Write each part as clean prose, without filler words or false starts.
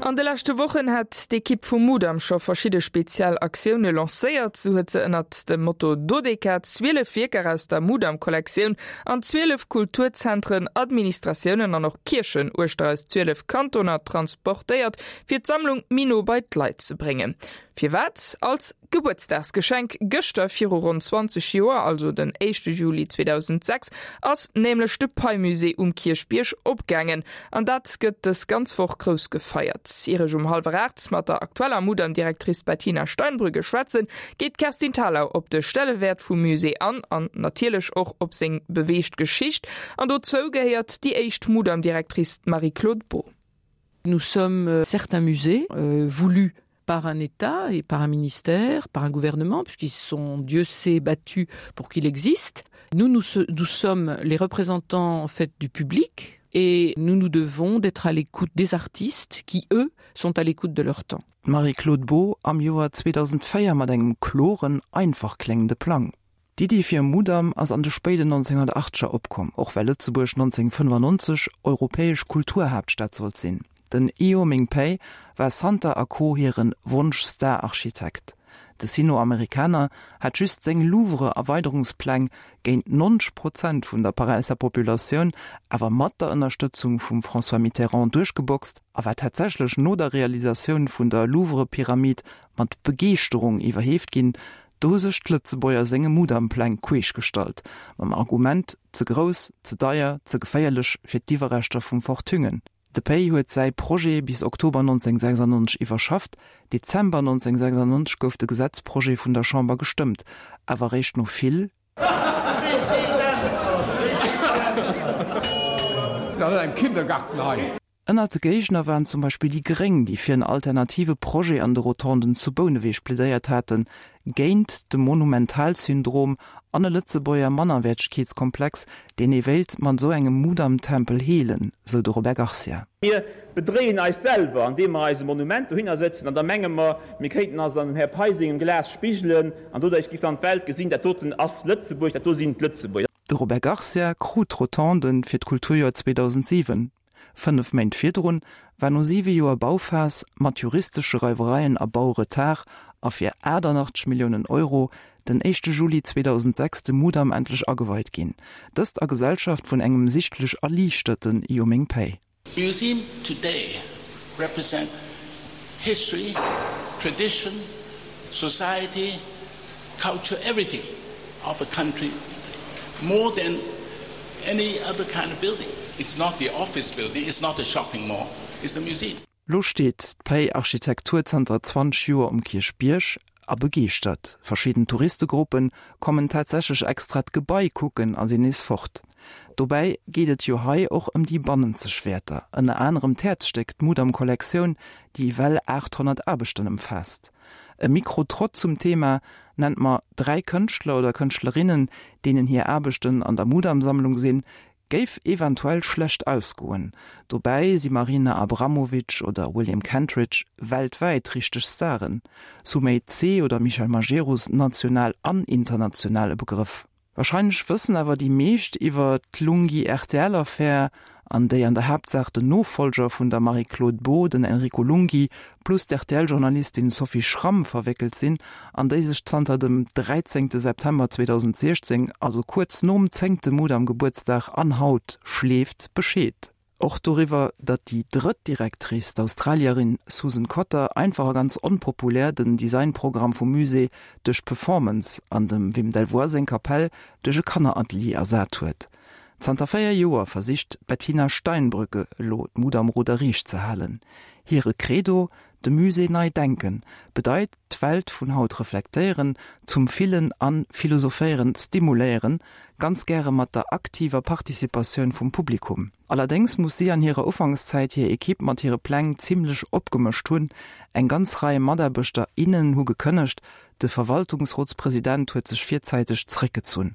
An de leschte Wochen hat d'Ekipp vum Mudam scho verschidde speziell Aktioune lancéiert. Sou huet se ënnert dem Motto Dodeka 12 Wierker aus der Mudam-Kollektioun an 12 Kulturzentren, Administratiounen an och Kierchen uechter eis 12 Kantoner transportéiert, fir d'Sammlung méi no bei d'Leit ze bréngen. Firwat? Als Gebuertsdagsgeschenk. Gëschter viru ronn 20 Joer, also den éischte Juli 2006, ass nämlech de Pei-Musée um Kierchbierg opgaangen. An dat gëtt dës ganz Woch grouss gefeiert. Ier ech um hallwer 8 mat der aktueller Mudam-Directrice Bettina Steinbrügge schwätzen, geet d'Kerstin Thalau op de Stellewäert vum Musée an an natierlech och op seng beweegt Geschicht. An dozou gehéiert déi éischt Mudam-Directrice, d'Marie-Claude Beaud. Nous sommes euh, certains musées euh, voulus par un État et par un ministère, par un gouvernement, puisqu'ils sont Dieu sait battus pour qu'il existe. Nous, nous, nous sommes les représentants en fait du public et nous nous devons d'être à l'écoute des artistes qui, eux, sont à l'écoute de leur temps. Marie-Claude Beaud am Joer 2004 mat engem kloren, einfach kléngende Plang. D'Iddi fir e Mudam ass an de spéiden 1980er opkomm, och well Lëtzebuerg 1995 europäesch Kulturhaaptstad sollt sinn. Den Ieoh Ming Pei war Santer a Co. Hiren Wonsch-Star-Architekt. De Sino-Amerikaner hat just seng Louvre-Erweiderungspläng géint 90 Prozent vun der Paräisser Populatioun, awer mat der Ënnerstëtzung vum François Mitterrand duerchgeboxt a war tatsächlech no der Realisatioun vun der Louvre-Pyramid mat Begeeschterung iwwerheeft ginn, Do hu sech d'Lëtzebuerger senge Mudam-Pläng queesch gestallt, mam Argument, ze grouss, ze deier, ze geféierlech fir d'Iwwerreschter vum Fort Thüngen. De Pei huet säi Projet bis Oktober 1996 iwwerschafft, Dezember 1996 gouf de Gesetzprojet vun der Chamber gestëmmt, awer eréischt no vill. Ënnert de Géigner waren zum Beispill déi Gréng, déi fir en alternative Projet an de Rotonden zu Bouneweg plädéiert haten, géint de Monumentalsyndrom an e Lëtzebuerger Mannerwäertegkeetskomplex, deen ee wéilt mat esou engem Mudam-Tempel heelen, sou de Robert Garcia. Mir bedréien eis selwer, andeem mer eis e Monument dohinner sëtzen an da menge mer, mir kéinten eis an dem Här Pei sengem Glas spigelen an doduerch giff dann d'Welt gesinn, dat doten ass Lëtzebuerg, dat do sinn d'Lëtzebuerger. De Robert Garcia krut d'Rotonden fir d'Kulturjoer 2007. 5 Méint virdrun war no 7 Joer Bauphas mat juristesche Reiwereien a Bauretard a fir 88 Milliounen Euro den éischte Juli 2006 de Mudam endlech ageweit ginn, dëst a Gesellschaft vun engem sichtlech erliichterten Ieoh Ming Pei. Museum today represent history, tradition, society, culture, everything of a country more than any other kind of building. It's not the office building, it's not a shopping mall, it's a museum. Lo steet d'Pei Architektur zanter 20 Joer um Kierchbierg a begeeschtert. Verschidden Touristegruppe kommen tatsächlech extra d'Gebai kucken a sinn nees fort. Dobäi geet et jo hei och ëm déi bannenzeg Wäerter, ënner anerem d'Häerzstéck, d'Mudam-Kollektioun, déi ewell 800 Aarbechten ëmfaasst. E Mikro-Trott zum Thema Nennt mer 3 Kënschtler oder Kënschtlerinnen, deenen hir Aarbechten an der Mudam-Sammlung sinn, géif eventuell schlecht ausgoen. Dobäi si Marina Abramovic oder William Kentridge weltwäit richteg Staren, Sumei Tse oder Michel Majerus national an international e Begrëff. Wahrscheinlech wëssen awer déi meescht iwwer d'Lunghi-RTL-Affär, an déi an der Haaptsaach den Nofollger vun der Marie-Claude Beaud, den Enrico Lunghi, plus d'RTL-Journalistin Sophie Schramm verwéckelt sinn, an déi sech zanter dem 13 September 2016, also kuerz nom zéngte Mudam-Gebuertsdag, an haut schleeft, Bescheed. Och doriwwer, datt déi drëtt Directrice, d'Australierin Susan Cotter, einfach a ganz onpopulär den Designprogramm vum Musée duerch Performance an dem Wim Delvoye seng Kapell duerch e Kanneratelier ersat huet. Zanter 4 Joer versicht d'Bettina Steinbrücke elo d'Mudam-Ruder riicht ze halen. Hire Credo, De Musée nei denken, bedeit d'Welt vun haut reflektéieren, zum Fillen an Philosophéieren stimuléieren, ganz gäre mat der aktiver Participatioun vum Publikum. Allerdéngs muss si an hirer Ufankszäit hir Equipe mat hire Pläng zimmlech opgemëscht hunn, eng ganz Rei Mataarbechter, innen hu gekënnegt, de Verwaltungsrotspresident huet sech virzäiteg zréckgezunn.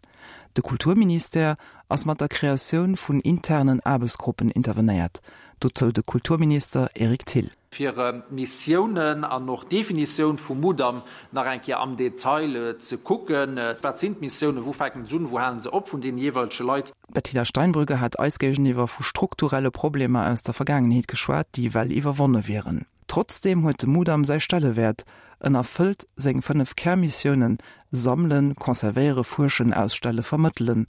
De Kulturministère ass mat der Kreatioun vun internen Aarbechtsgruppen intervenéiert, dozou de Kulturminister Eric Thill. Fir d'Missiounen an och d'Definitioun vum Mudam nach eng Kéier am Detail ze kucken. Wat sinn d'Missiounen, wou fänken se un, wou halen se op vun deene jeeweilege Leit? D'Bettina Steinbrügge hat eis géigeniwwer vu strukturelle Problemer aus der Vergaangenheet geschwat, déi well iwwerwonne wieren. Trotzdeem huet de Mudam säi Stellewäert, en erfëllt seng 5 Kärmissiounen, sammelen, conservéiere, fuerschen, ausstelle, vermëttelen.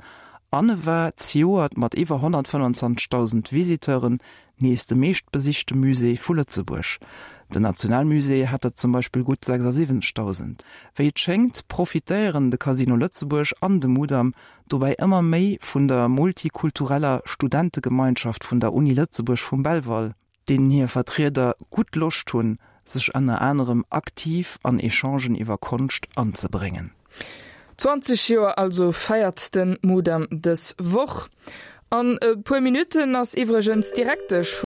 An e war zejoert mat iwwer 125.000 Visiteuren nees de meeschtbesichte Musée vu Lëtzebuerg. Den Nationalmusée hat der zum Beispill gutt 76.000. Wéi et schéngt, profitéieren de Casino Lëtzebuerg an de Mudam dobäi ëmmer méi vun der multikultureller Studentegemeinschaft vun der Uni Lëtzebuerg vum Belval, deenen hir Vertrieder gutt Loscht hunn, sech ënner anerem aktiv an Echangen iwwer Konscht anzebréngen. 20 Joer also feiert de Mudam dës Woch. An e puer Minutten ass iwwregens d'Direktesch.